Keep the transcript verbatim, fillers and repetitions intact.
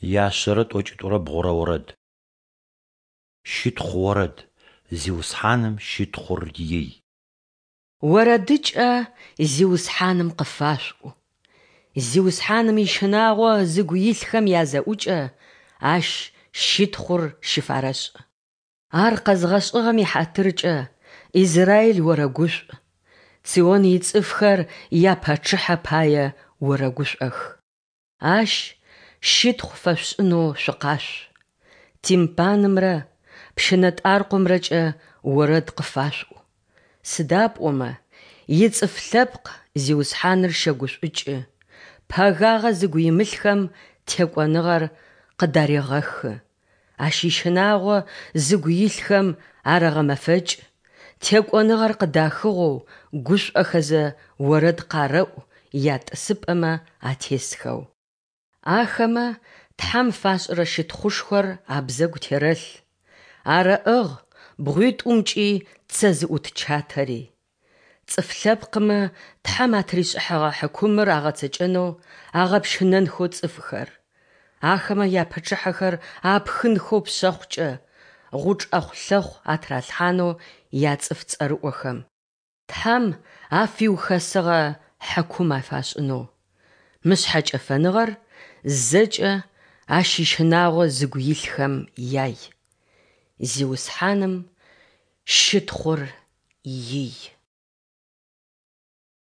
Яшъэрэ тӏокӏитӏурэ бгъурэ орэд. Щытхъу орэд! Зиусхьаным щытхъур ий! Орэдыкӏэ Зиусхьаным къыфашъуӏу! Зиусхьаным ищынагъо зыгу илъхэм язэӏукӏэ Ащ щытхъур щыфарэшӏ. Ар къэзгъэшӏыгъэм ихьатыркӏэ Израиль орэгушӏу, Цион ицӏыфхэр япачъыхьэ пае орэгушӏох. Ащ щытхъу фэшъушӏынэу шъукъашъу, тимпанымрэ пщынэтӏаркъомрэкӏэ орэд къыфашъуӏу. Сыда пӏомэ ицӏыф лъэпкъ Зиусхьаныр щэгушӏукӏы, пэгагъэ зыгу имылъхэм текӏоныгъэр къыдарегъэхы. Ащ ищынагъо зыгу илъхэм арэгъэмэфэкӏ, текӏоныгъэр къыдахыгъэу гушӏохэзэ орэд къарэӏу ятӏысыпӏэмэ атесхэу. Ахэмэ Тхьэм фашӏырэ щытхъушхор абзэгу терэлъ, арэӏыгъ бгъуитӏумкӏи цэ зыӏут чатэри. Цӏыф лъэпкъмэ Тхьэм атыришӏыхьэгъэ хьыкумыр агъэцэкӏэнэу агъэпщынэнхэу цӏыфхэр, ахэмэ япачъыхьэхэр апхынхэу пшъэхъукӏэ, гъучӏ ӏэхъулъэхъу атыралъхьанэу яцӏыф цӏэрыӏохэм, Тхьэм афиухэсыгъэ хьыкум афашӏынэу. Мы шъхьэкӏэфэныгъэр зэкӏэ Ащ ищынагъо зыгу илъхэм яй. Зиусхьаным щытхъур ий!